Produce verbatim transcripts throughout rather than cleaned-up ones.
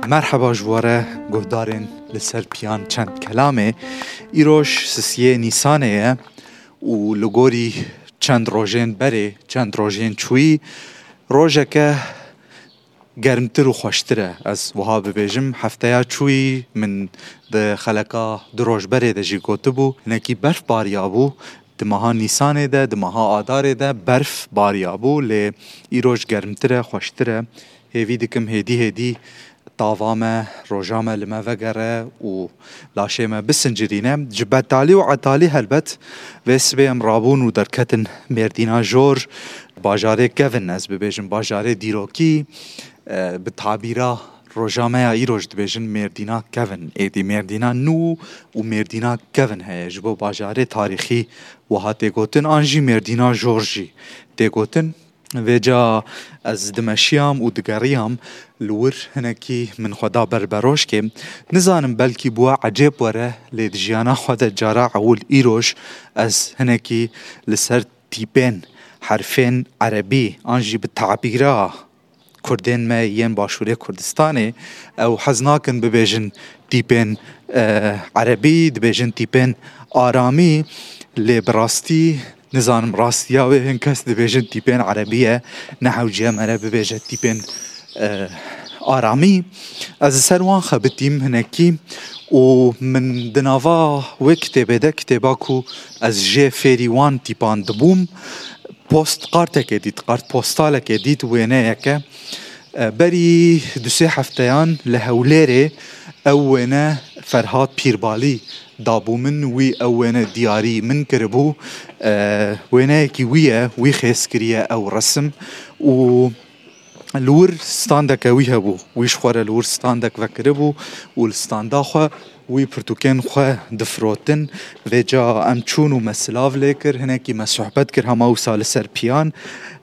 Merheba ji we re guhdarên li ser piyan çend kelamê. Îroj sisiyê Nîsanê ye û li gorî çend rojên berê, çend rojên çûyî, rojeke germtir û xweştir e. Ez wiha bibêjim, hefteya çûyî min di xeleka du roj berê de jî gotibû, hinekî berf bariyabû. Di meha Nîsanê de, di meha Adarê de berf bariyabû, lê îroj germtir e, xweştir e. Hêvî dikim hêdî hêdî tava me, roja me li me vegere û laşê me bisincirîne. Ji betalî û etalî helbet vê sibê em rabûn û derketin Mêrdîna Jor, bajarê kevin, ez bibêjim bajarê dîrokî, e, bi tabîra roja me ya îroj dibêjin Mêrdîna kevin. Êdî Mêrdîna nû û Mêrdîna kevin heye. Ji bo bajarê tarîxî wiha tê gotin, an jî Mêrdîna Jor jî tê gotin. Vêca ez dimeşiyam û digeriyam li wir, hinekî min xwe da ber berojkê. Nizanim, belkî bi we ecêb were, lê di jiyana xwe de cara ewil îroj ez hinekî li ser tîpên herfên erebî an jî bi tabîra kurdên me yên Başûrê Kurdistanê, ew hez nakin bibêjin tîpên, e, erebî, dibêjin tîpên aramî, lê bi rastî nizanim rastiya wê, hin kes dibêjin tîpên erebî ye, ne hewce ye me re bibêje tîpên, e, aramî. Ez li ser wan xebitîm hinekî û min di nava wê kitêbê de, kitêba ku ez jê fêrî wan tîpan dibûm, post kartekê dît, kart postalekê dît, wêneyeke. E, berî du sê hefteyan li Hewlêrê ew wêne Ferhat Pîrbalî dabû min, wî ew wêne diyarî min kiribû. E, wêneyekî wî ye, wî xêz kiriye ew resim û li wir standeke wî hebû. Wî ji xwe re li wir standek vekiribû û li standa xwe wî pirtûkên xwe difirotin. Vêca em çûn û me silav lê kir, hinekî me sohbet kir hema wisa li ser piyan.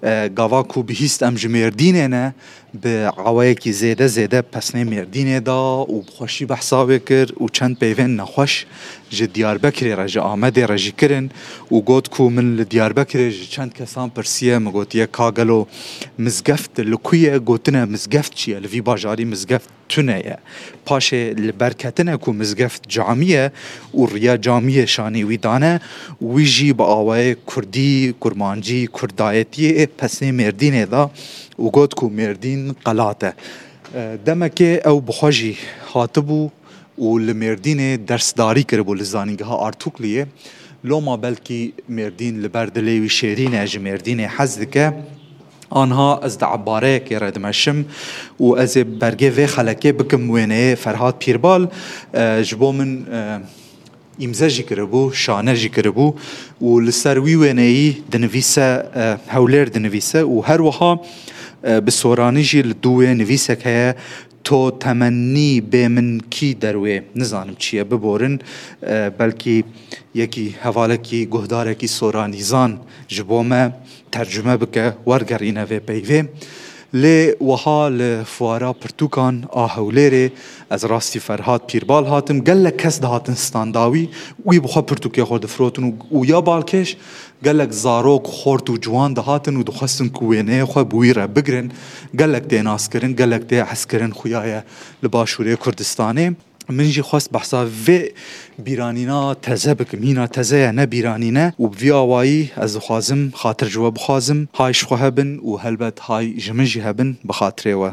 E, gava ku bihîst em ji Mêrdînê ne, bi awayekî zêde zêde pesnê Mêrdînê da û bi xweşî behsa wê kir û çend peyvên nexweş ji Diyarbekirê re, ji Amedê re jî kirin û got ku min li Diyarbekirê ji çend kesan pirsiye, min gotiye, ka gelo mizgeft li ku ye? Gotine, mizgeft çi ye? Li vî bajarî mizgeft tune ye. Paşê li ber ketine ku mizgeft camî ye û riya camiyê şanî wî dane, wî jî bi awayê kurdî, kurmancî, kurdayetiyê pesnê Mêrdînê da û got ku Mêrdîn qelat e. E, demekê ew bi xwe jî hatibû û li Mêrdînê dersdarî kiribû li Zanîngeha Artukliyê. Loma belkî Mêrdîn li ber dilê wî şêrîn e, ji Mêrdînê hez dike. Anha ez di ebareyekê re dimeşim û ez ê bergê vê xelekê bikim wêneyê Ferhat Pîrbal. E, ji bo min, e, îmze jî kiribû, şane jî kiribû û li ser wî wêneyî dinivîse, e, Hewlêr dinivîse û her wiha, e, bi soranî jî li dû wê nivîsek heye, To temennî bê min kî derwê, nizanim çi ye, biborin, e, belkî yekî hevalekî, guhdarekî soranîzan ji bo me tercume bike, wergerîne vê peyvê. Lê wiha li fuara pirtûkan a Hewlêrê ez rastî Ferhat Pîrbal hatim, gelek kes dihatin standa wî, wî bi xwe pirtûkê xwe difirotin û, û ya balkêş gelek zarok, xort û ciwan dihatin û dixwestin ku wêneyê xwe bi wî re bigrin. Gelek tê naskirin, gelek tê hezkirin xuya ye li Başûrê Kurdistanê. Min jî xwest behsa vê bîranîna teze bikim. Hîna teze ye, ne bîranîne û bi vî awayî ez dixwazim xatir ji we bixwazim. Hay ji xwe hebin û helbet hay ji min jî hebin bi xatirê we.